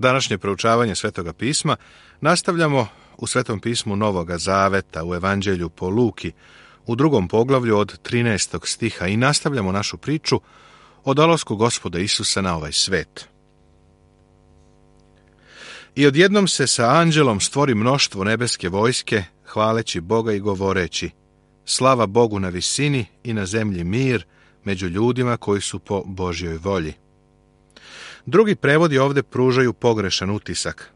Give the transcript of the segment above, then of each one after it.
Današnje proučavanje Svetoga pisma nastavljamo u Svetom pismu Novoga Zaveta, u Evanđelju po Luki, u 2. poglavlju od 13. stiha i nastavljamo našu priču o dolasku Gospoda Isusa na ovaj svet. I odjednom se sa anđelom stvori mnoštvo nebeske vojske, hvaleći Boga i govoreći: slava Bogu na visini i na zemlji mir među ljudima koji su po Božjoj volji. Drugi prevodi ovdje pružaju pogrešan utisak.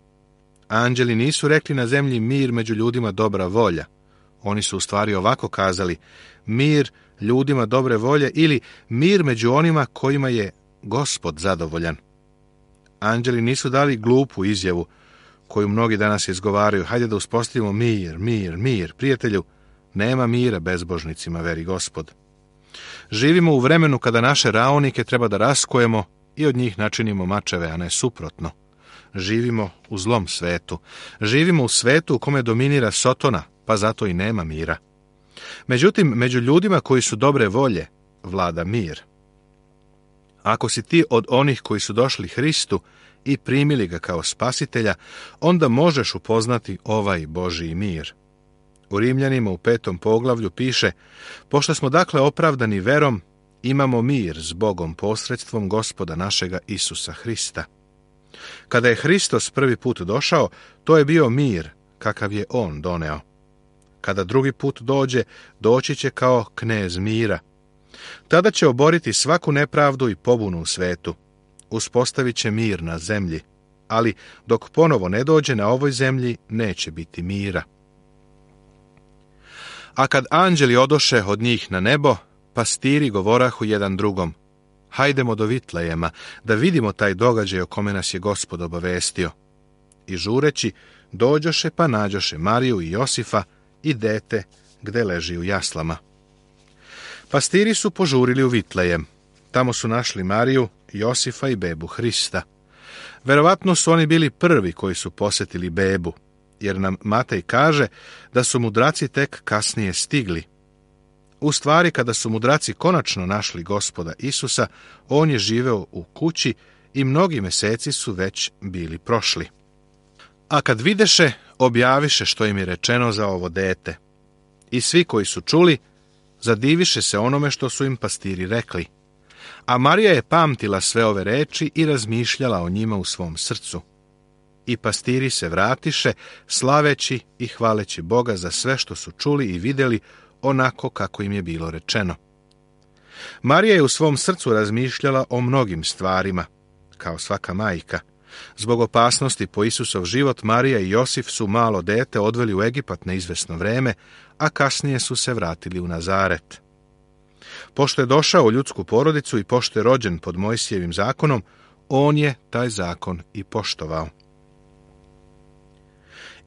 Anđeli nisu rekli na zemlji mir među ljudima dobra volja. Oni su u stvari ovako kazali: mir ljudima dobre volje ili mir među onima kojima je Gospod zadovoljan. Anđeli nisu dali glupu izjavu koju mnogi danas izgovaraju: hajde da uspostavimo mir, mir, mir. Prijatelju, nema mira bezbožnicima, veri Gospod. Živimo u vremenu kada naše raonike treba da raskojemo i od njih načinimo mačeve, a ne suprotno. Živimo u zlom svetu. Živimo u svetu u kome dominira Sotona, pa zato i nema mira. Međutim, među ljudima koji su dobre volje vlada mir. Ako si ti od onih koji su došli Hristu i primili ga kao spasitelja, onda možeš upoznati ovaj Božji mir. U Rimljanima u 5. poglavlju piše: pošto smo dakle opravdani verom, imamo mir s Bogom posredstvom Gospoda našega Isusa Hrista. Kada je Hristos prvi put došao, to je bio mir kakav je on doneo. Kada drugi put dođe, doći će kao knez mira. Tada će oboriti svaku nepravdu i pobunu u svetu. Uspostavit će mir na zemlji, ali dok ponovo ne dođe, na ovoj zemlji neće biti mira. A kad anđeli odoše od njih na nebo, pastiri govorahu jedan drugom: hajdemo do Vitlejema, da vidimo taj događaj o kome nas je Gospod obavestio. I žureći, dođoše pa nađoše Mariju i Josifa i dete gde leži u jaslama. Pastiri su požurili u Vitlejem. Tamo su našli Mariju, Josifa i bebu Hrista. Verovatno su oni bili prvi koji su posjetili bebu, jer nam Matej kaže da su mudraci tek kasnije stigli. U stvari, kada su mudraci konačno našli Gospoda Isusa, on je živeo u kući i mnogi meseci su već bili prošli. A kad videše, objaviše što im je rečeno za ovo dete. I svi koji su čuli, zadiviše se onome što su im pastiri rekli. A Marija je pamtila sve ove reči i razmišljala o njima u svom srcu. I pastiri se vratiše, slaveći i hvaleći Boga za sve što su čuli i vidjeli, onako kako im je bilo rečeno. Marija je u svom srcu razmišljala o mnogim stvarima, kao svaka majka. Zbog opasnosti po Isusov život, Marija i Josif su malo dete odveli u Egipat na izvesno vreme, a kasnije su se vratili u Nazaret. Pošto je došao u ljudsku porodicu i pošto je rođen pod Mojsijevim zakonom, on je taj zakon i poštovao.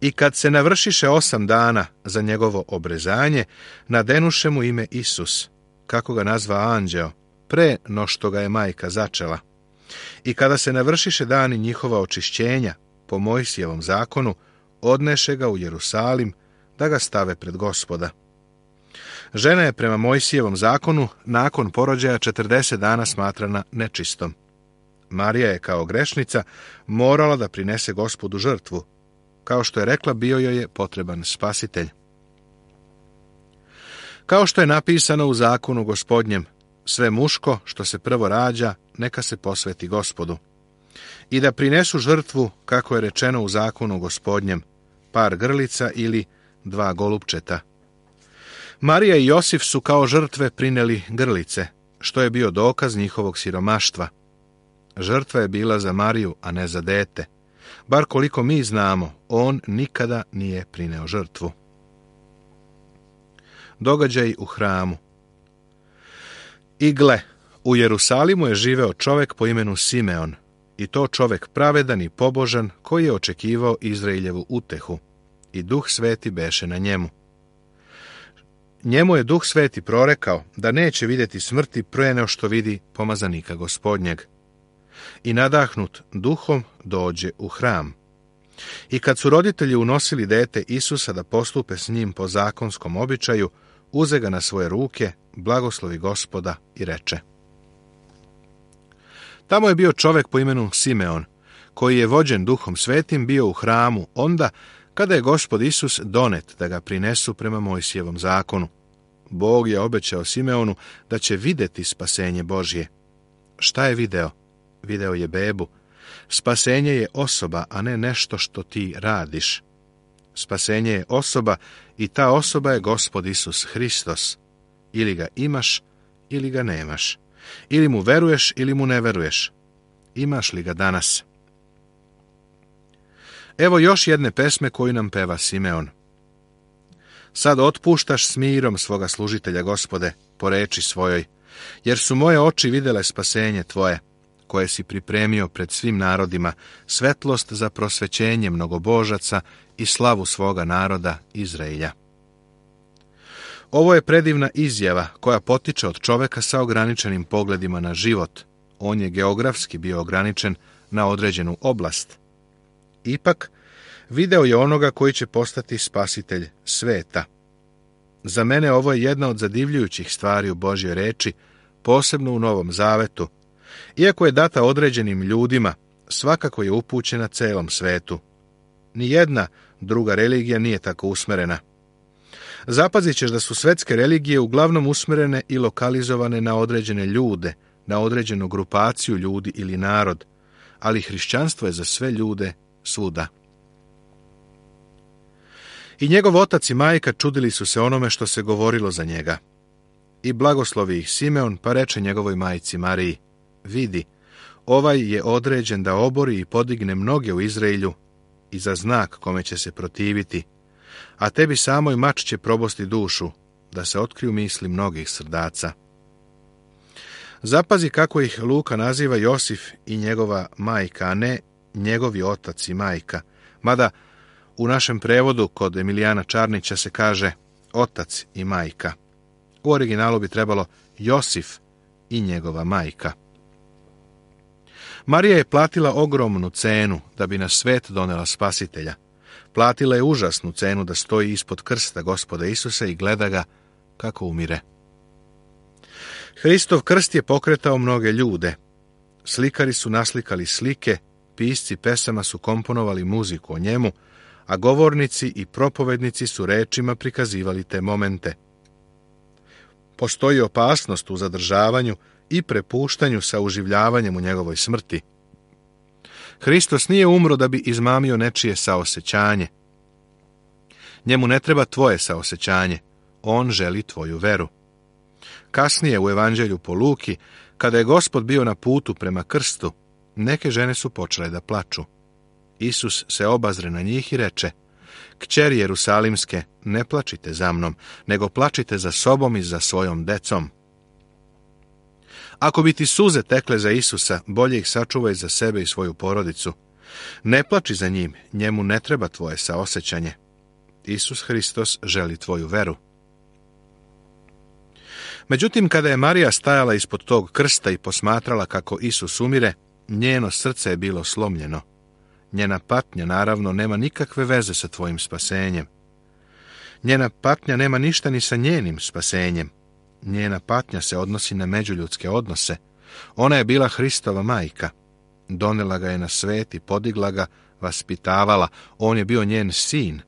I kad se navršiše 8 dana za njegovo obrezanje, nadenuše mu ime Isus, kako ga nazva anđeo, pre no što ga je majka začela. I kada se navršiše dani njihova očišćenja, po Mojsijevom zakonu, odneše ga u Jerusalim, da ga stave pred Gospoda. Žena je prema Mojsijevom zakonu nakon porođaja 40 dana smatrana nečistom. Marija je kao grešnica morala da prinese Gospodu žrtvu. Kao što je rekla, bio joj je potreban spasitelj. Kao što je napisano u zakonu Gospodnjem: sve muško što se prvo rađa, neka se posveti Gospodu. I da prinesu žrtvu, kako je rečeno u zakonu Gospodnjem, par grlica ili 2 golupčeta. Marija i Josif su kao žrtve prineli grlice, što je bio dokaz njihovog siromaštva. Žrtva je bila za Mariju, a ne za dete. Bar koliko mi znamo, on nikada nije prineo žrtvu. Događaj u hramu. I gle, u Jerusalimu je živeo čovek po imenu Simeon, i to čovek pravedan i pobožan, koji je očekivao Izraeljevu utehu, i Duh Sveti beše na njemu. Njemu je Duh Sveti prorekao da neće vidjeti smrti pre nego što vidi pomazanika Gospodnjeg. I nadahnut duhom dođe u hram. I kad su roditelji unosili dete Isusa da postupe s njim po zakonskom običaju, uze ga na svoje ruke, blagoslovi Gospoda i reče: tamo je bio čovek po imenu Simeon, koji je vođen Duhom Svetim, bio u hramu onda kada je Gospod Isus donet da ga prinesu prema Mojsijevom zakonu. Bog je obećao Simeonu da će vidjeti spasenje Božje. Šta je video? Video je bebu. Spasenje je osoba, a ne nešto što ti radiš. Spasenje je osoba i ta osoba je Gospod Isus Hristos. Ili ga imaš, ili ga nemaš. Ili mu veruješ, ili mu ne veruješ. Imaš li ga danas? Evo još jedne pesme koju nam peva Simeon. Sad otpuštaš s mirom svoga služitelja, Gospode, po reči svojoj, jer su moje oči vidjele spasenje tvoje, koje si pripremio pred svim narodima, svetlost za prosvećenje mnogobožaca i slavu svoga naroda Izraelja. Ovo je predivna izjava koja potiče od čoveka sa ograničenim pogledima na život. On je geografski bio ograničen na određenu oblast. Ipak, video je onoga koji će postati spasitelj sveta. Za mene ovo je jedna od zadivljujućih stvari u Božjoj reči, posebno u Novom Zavetu. Iako je data određenim ljudima, svakako je upućena celom svetu. Nijedna druga religija nije tako usmerena. Zapazit ćeš da su svetske religije uglavnom usmerene i lokalizovane na određene ljude, na određenu grupaciju ljudi ili narod, ali hrišćanstvo je za sve ljude svuda. I njegov otac i majka čudili su se onome što se govorilo za njega. I blagoslovi ih Simeon, pa reče njegovoj majci Mariji: vidi, ovaj je određen da obori i podigne mnoge u Izraelju i za znak kome će se protiviti, a tebi samoj mač će probosti dušu, da se otkriju misli mnogih srdaca. Zapazi kako ih Luka naziva Josif i njegova majka, a ne njegovi otac i majka, mada u našem prevodu kod Emilijana Čarnića se kaže otac i majka. U originalu bi trebalo Josif i njegova majka. Marija je platila ogromnu cenu da bi na svet donela spasitelja. Platila je užasnu cenu da stoji ispod krsta Gospoda Isusa i gleda ga kako umire. Hristov krst je pokretao mnoge ljude. Slikari su naslikali slike, pisci pesama su komponovali muziku o njemu, a govornici i propovednici su rečima prikazivali te momente. Postoji opasnost u zadržavanju i prepuštanju sa uživljavanjem u njegovoj smrti. Hristos nije umro da bi izmamio nečije saosećanje. Njemu ne treba tvoje saosećanje, on želi tvoju veru. Kasnije u Evanđelju po Luki, kada je Gospod bio na putu prema krstu, neke žene su počele da plaču. Isus se obazre na njih i reče: Kćeri Jerusalimske, ne plačite za mnom, nego plačite za sobom i za svojom decom. Ako bi ti suze tekle za Isusa, bolje ih sačuvaj za sebe i svoju porodicu. Ne plači za njim, njemu ne treba tvoje saosećanje. Isus Hristos želi tvoju veru. Međutim, kada je Marija stajala ispod tog krsta i posmatrala kako Isus umire, njeno srce je bilo slomljeno. Njena patnja, naravno, nema nikakve veze sa tvojim spasenjem. Njena patnja nema ništa ni sa njenim spasenjem. Njena patnja se odnosi na međuljudske odnose. Ona je bila Hristova majka. Donela ga je na svet i podigla ga, vaspitavala. On je bio njen sin.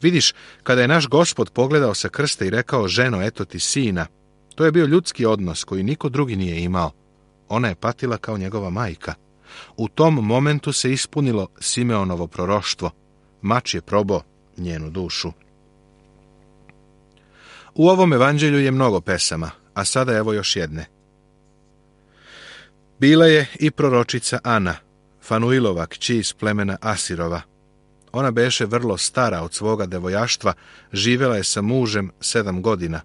Vidiš, kada je naš Gospod pogledao sa krsta i rekao: ženo, eto ti sina, to je bio ljudski odnos koji niko drugi nije imao. Ona je patila kao njegova majka. U tom momentu se ispunilo Simeonovo proroštvo. Mač je probao njenu dušu. U ovom evanđelju je mnogo pesama, a sada evo još jedne. Bila je i proročica Ana, Fanuilova kći iz plemena Asirova. Ona beše vrlo stara od svoga devojaštva, živjela je sa mužem 7 godina,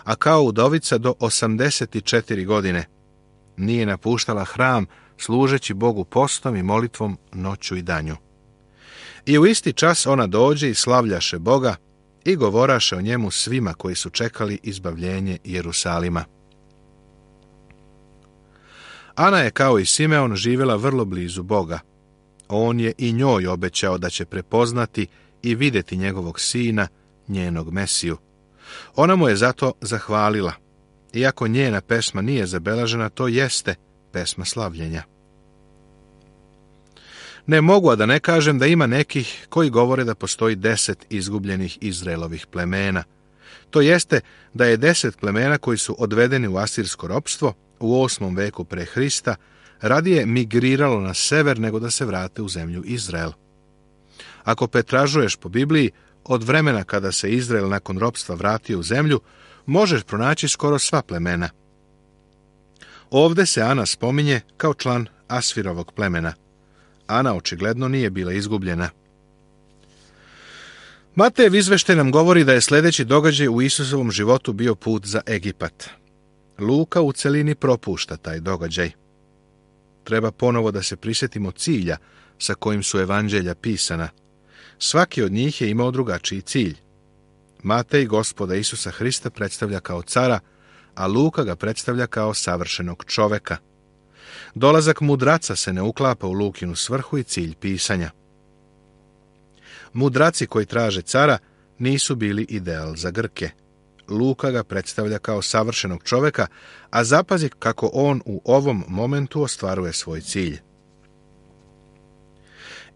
a kao udovica do 84 godine. Nije napuštala hram, služeći Bogu postom i molitvom noću i danju. I u isti čas ona dođe i slavljaše Boga i govoraše o njemu svima koji su čekali izbavljenje Jerusalima. Ana je kao i Simeon živjela vrlo blizu Boga. On je i njoj obećao da će prepoznati i vidjeti njegovog sina, njenog Mesiju. Ona mu je zato zahvalila. Iako njena pesma nije zabeležena, to jeste pesma slavljenja. Ne mogu, a da ne kažem da ima nekih koji govore da postoji 10 izgubljenih Izraelovih plemena. To jeste da je 10 plemena koji su odvedeni u asirsko ropstvo u 8. veku pre Hrista radije migriralo na sever nego da se vrate u zemlju Izrael. Ako pretražuješ po Bibliji, od vremena kada se Izrael nakon ropstva vratio u zemlju, možeš pronaći skoro sva plemena. Ovde se Ana spominje kao član Asfirovog plemena. Ana očigledno nije bila izgubljena. Matejev izveštaj nam govori da je sljedeći događaj u Isusovom životu bio put za Egipat. Luka u celini propušta taj događaj. Treba ponovo da se prisjetimo cilja sa kojim su evanđelja pisana. Svaki od njih je imao drugačiji cilj. Matej Gospoda Isusa Hrista predstavlja kao cara, a Luka ga predstavlja kao savršenog čoveka. Dolazak mudraca se ne uklapa u Lukinu svrhu i cilj pisanja. Mudraci koji traže cara nisu bili ideal za Grke. Luka ga predstavlja kao savršenog čoveka, a zapazi kako on u ovom momentu ostvaruje svoj cilj.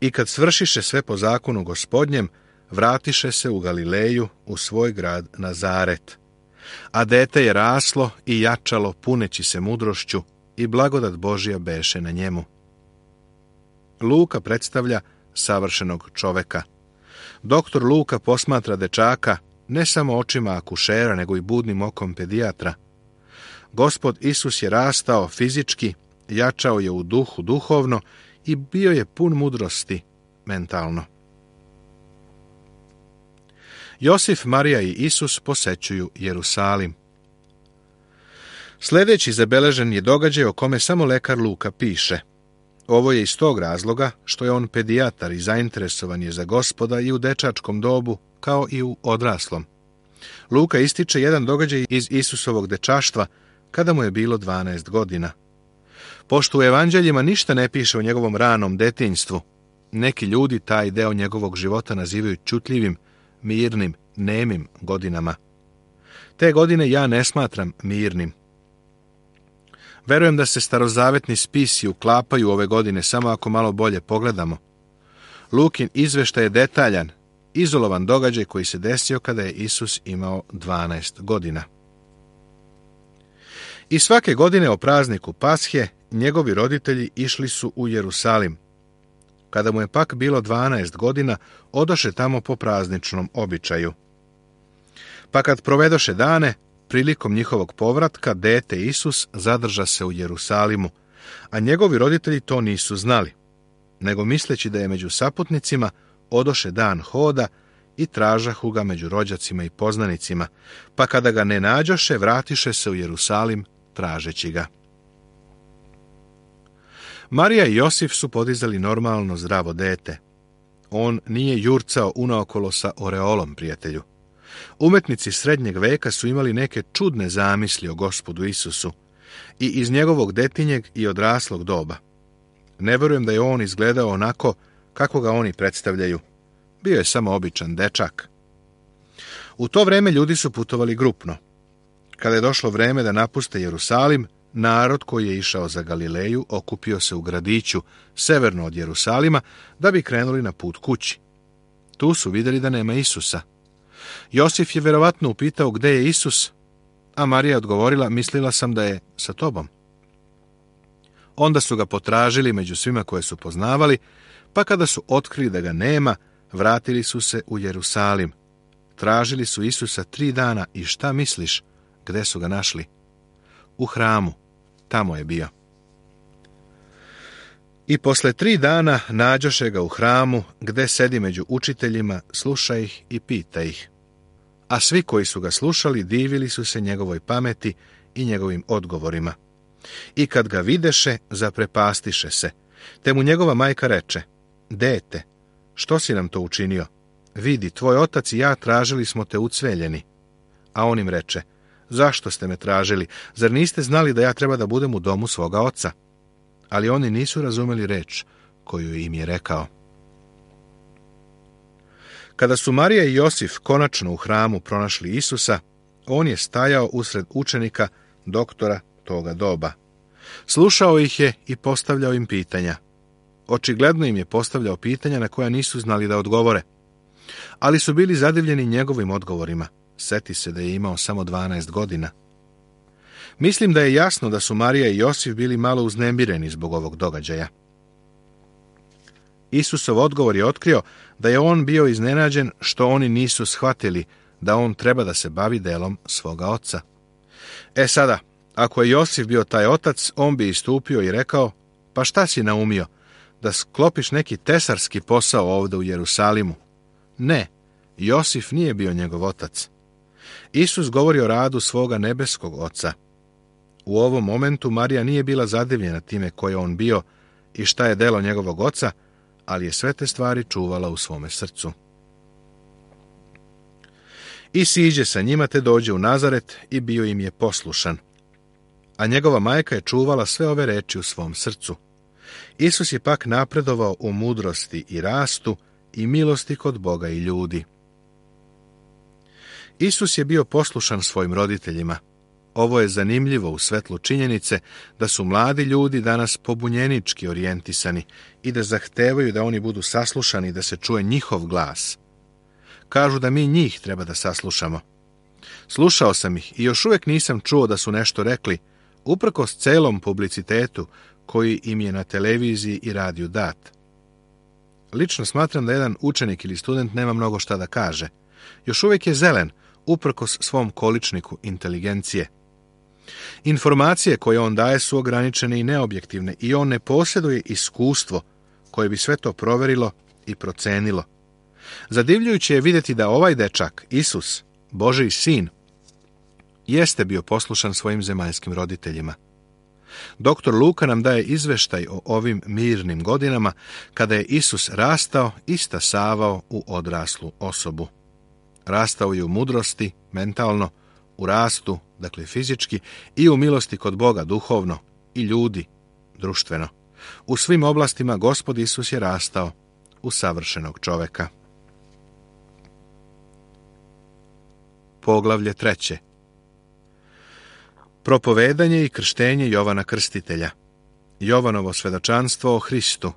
I kad svršiše sve po zakonu Gospodnjem, vratiše se u Galileju, u svoj grad Nazaret. A dete je raslo i jačalo, puneći se mudrošću, i blagodat Božja beše na njemu. Luka predstavlja savršenog čoveka. Doktor Luka posmatra dečaka ne samo očima akušera, nego i budnim okom pedijatra. Gospod Isus je rastao fizički, jačao je u duhu duhovno i bio je pun mudrosti mentalno. Josif, Marija i Isus posećuju Jerusalim. Sljedeći zabeležen je događaj o kome samo lekar Luka piše. Ovo je iz tog razloga što je on pedijatar i zainteresovan je za Gospoda i u dečačkom dobu, kao i u odraslom. Luka ističe jedan događaj iz Isusovog dečaštva, kada mu je bilo 12 godina. Pošto u evanđeljima ništa ne piše o njegovom ranom detinjstvu, neki ljudi taj deo njegovog života nazivaju čutljivim, mirnim, nemim godinama. Te godine ja ne smatram mirnim. Verujem da se starozavetni spisi uklapaju ove godine samo ako malo bolje pogledamo. Lukin izveštaj je detaljan, izolovan događaj koji se desio kada je Isus imao 12 godina. I svake godine o prazniku Pashe njegovi roditelji išli su u Jerusalim. Kada mu je pak bilo 12 godina, odoše tamo po prazničnom običaju. Pa kad provedoše dane, prilikom njihovog povratka, dete Isus zadrža se u Jerusalimu, a njegovi roditelji to nisu znali, nego misleći da je među saputnicima, odoše dan hoda i tražahu ga među rođacima i poznanicima, pa kada ga ne nađoše, vratiše se u Jerusalim tražeći ga. Marija i Josif su podizali normalno zdravo dete. On nije jurcao unaokolo sa oreolom, prijatelju. Umetnici srednjeg veka su imali neke čudne zamisli o Gospodu Isusu i iz njegovog detinjeg i odraslog doba. Ne verujem da je on izgledao onako kako ga oni predstavljaju. Bio je samo običan dečak. U to vreme ljudi su putovali grupno. Kada je došlo vreme da napuste Jerusalim, narod koji je išao za Galileju okupio se u gradiću severno od Jerusalima da bi krenuli na put kući. Tu su vidjeli da nema Isusa. Josif je verovatno upitao gde je Isus, a Marija je odgovorila, mislila sam da je sa tobom. Onda su ga potražili među svima koje su poznavali, pa kada su otkrili da ga nema, vratili su se u Jerusalim. Tražili su Isusa 3 dana i šta misliš, gde su ga našli? U hramu, tamo je bio. I posle 3 dana nađoše ga u hramu, gde sedi među učiteljima, sluša ih i pita ih. A svi koji su ga slušali divili su se njegovoj pameti i njegovim odgovorima. I kad ga videše, zaprepastiše se, te mu njegova majka reče, dete, što si nam to učinio? Vidi, tvoj otac i ja tražili smo te ucveljeni. A on im reče, zašto ste me tražili? Zar niste znali da ja treba da budem u domu svoga oca? Ali oni nisu razumeli reč koju im je rekao. Kada su Marija i Josif konačno u hramu pronašli Isusa, on je stajao usred učenika doktora toga doba. Slušao ih je i postavljao im pitanja. Očigledno im je postavljao pitanja na koja nisu znali da odgovore. Ali su bili zadivljeni njegovim odgovorima. Seti se da je imao samo 12 godina. Mislim da je jasno da su Marija i Josif bili malo uznemireni zbog ovog događaja. Isusov odgovor je otkrio da je on bio iznenađen što oni nisu shvatili da on treba da se bavi delom svoga oca. Sada, ako je Josif bio taj otac, on bi istupio i rekao: pa šta si naumio, da sklopiš neki tesarski posao ovdje u Jerusalimu? Ne, Josif nije bio njegov otac. Isus govori o radu svoga nebeskog oca. U ovom momentu Marija nije bila zadivljena time ko je on bio i šta je delo njegovog oca, ali je sve te stvari čuvala u svome srcu. I siđe sa njima te dođe u Nazaret i bio im je poslušan. A njegova majka je čuvala sve ove reči u svom srcu. Isus je pak napredovao u mudrosti i rastu i milosti kod Boga i ljudi. Isus je bio poslušan svojim roditeljima. Ovo je zanimljivo u svetlu činjenice da su mladi ljudi danas pobunjenički orijentisani i da zahtevaju da oni budu saslušani, da se čuje njihov glas. Kažu da mi njih treba da saslušamo. Slušao sam ih i još uvijek nisam čuo da su nešto rekli, uprkos celom publicitetu koji im je na televiziji i radiju dat. Lično smatram da jedan učenik ili student nema mnogo šta da kaže. Još uvijek je zelen, uprkos svom količniku inteligencije. Informacije koje on daje su ograničene i neobjektivne i on ne posjeduje iskustvo koje bi sve to proverilo i procenilo. Zadivljujuće je vidjeti da ovaj dečak, Isus, Božji sin, jeste bio poslušan svojim zemaljskim roditeljima. Doktor Luka nam daje izveštaj o ovim mirnim godinama kada je Isus rastao i stasavao u odraslu osobu. Rastao je u mudrosti, mentalno, u rastu, dakle fizički, i u milosti kod Boga, duhovno, i ljudi, društveno. U svim oblastima Gospod Isus je rastao u savršenog čoveka. Poglavlje 3. Propovedanje i krštenje Jovana Krstitelja. Jovanovo svedočanstvo o Hristu.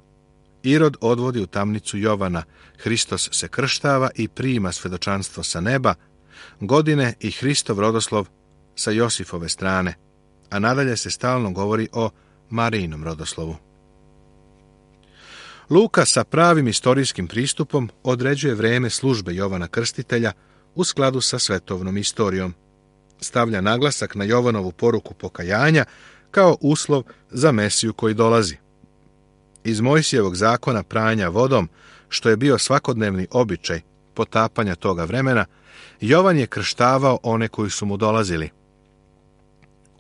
Irod odvodi u tamnicu Jovana. Hristos se krštava i prima svedočanstvo sa neba. Godine i Hristov rodoslov sa Josifove strane. A nadalje se stalno govori o Marijinom rodoslovu. Luka sa pravim istorijskim pristupom određuje vreme službe Jovana Krstitelja u skladu sa svetovnom istorijom. Stavlja naglasak na Jovanovu poruku pokajanja kao uslov za Mesiju koji dolazi. Iz Mojsijevog zakona pranja vodom, što je bio svakodnevni običaj potapanja toga vremena, Jovan je krštavao one koji su mu dolazili.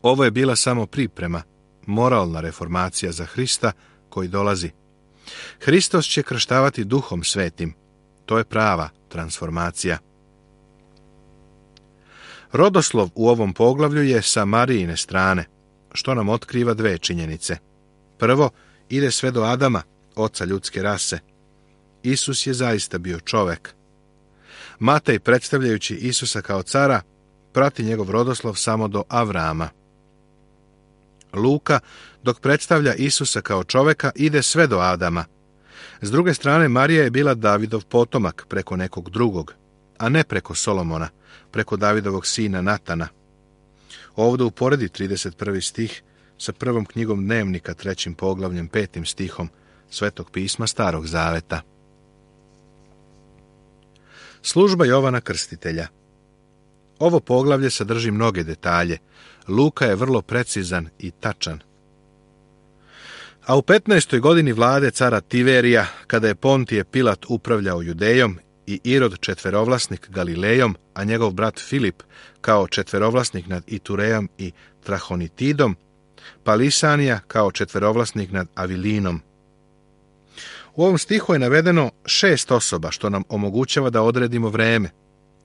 Ovo je bila samo priprema, moralna reformacija za Hrista koji dolazi. Hristos će krštavati Duhom Svetim. To je prava transformacija. Rodoslov u ovom poglavlju je sa Marijine strane, što nam otkriva dve činjenice. Prvo, ide sve do Adama, oca ljudske rase. Isus je zaista bio čovek. Matej, predstavljajući Isusa kao cara, prati njegov rodoslov samo do Avrama. Luka, dok predstavlja Isusa kao čoveka, ide sve do Adama. S druge strane, Marija je bila Davidov potomak preko nekog drugog, a ne preko Solomona, preko Davidovog sina Natana. Ovdje uporedi 31. stih sa prvom knjigom Dnevnika, 3. poglavljem, 5. stihom Svetog pisma Starog zaveta. Služba Jovana Krstitelja. Ovo poglavlje sadrži mnoge detalje. Luka je vrlo precizan i tačan. A u 15. godini vlade cara Tiverija, kada je Pontije Pilat upravljao Judejom i Irod četverovlasnik Galilejom, a njegov brat Filip kao četverovlasnik nad Iturejom i Trahonitidom, pa Lisanija kao četverovlasnik nad Avilinom. U ovom stihu je navedeno 6 osoba, što nam omogućava da odredimo vreme.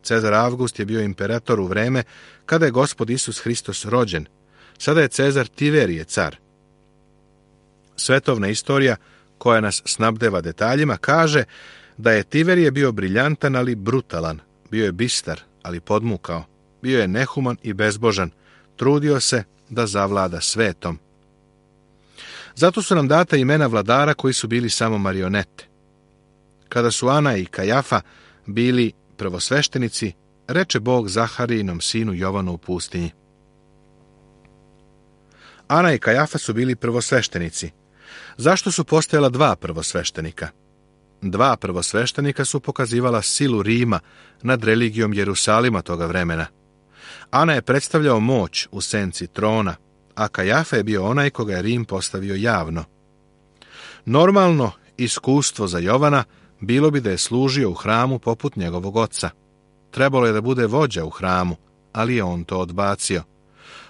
Cezar Avgust je bio imperator u vreme kada je Gospod Isus Hristos rođen. Sada je Cezar Tiverije car. Svetovna istorija, koja nas snabdeva detaljima, kaže da je Tiverije bio briljantan, ali brutalan. Bio je bistar, ali podmukao. Bio je nehuman i bezbožan. Trudio se da zavlada svetom. Zato su nam data imena vladara koji su bili samo marionete. Kada su Ana i Kajafa bili prvosveštenici, reče Bog Zaharijinom sinu Jovanu u pustinji. Ana i Kajafa su bili prvosveštenici. Zašto su postojala dva prvosveštenika? Dva prvosveštenika su pokazivala silu Rima nad religijom Jerusalima toga vremena. Ana je predstavljao moć u senci trona, a Kajafa je bio onaj koga je Rim postavio javno. Normalno iskustvo za Jovana bilo bi da je služio u hramu poput njegovog oca. Trebalo je da bude vođa u hramu, ali je on to odbacio.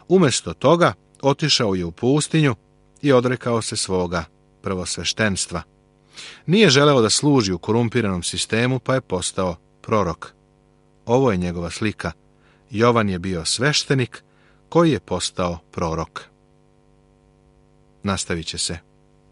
Umjesto toga otišao je u pustinju i odrekao se svoga prvosveštenstva. Nije želeo da služi u korumpiranom sistemu, pa je postao prorok. Ovo je njegova slika. Jovan je bio sveštenik koji je postao prorok. Nastavit će se.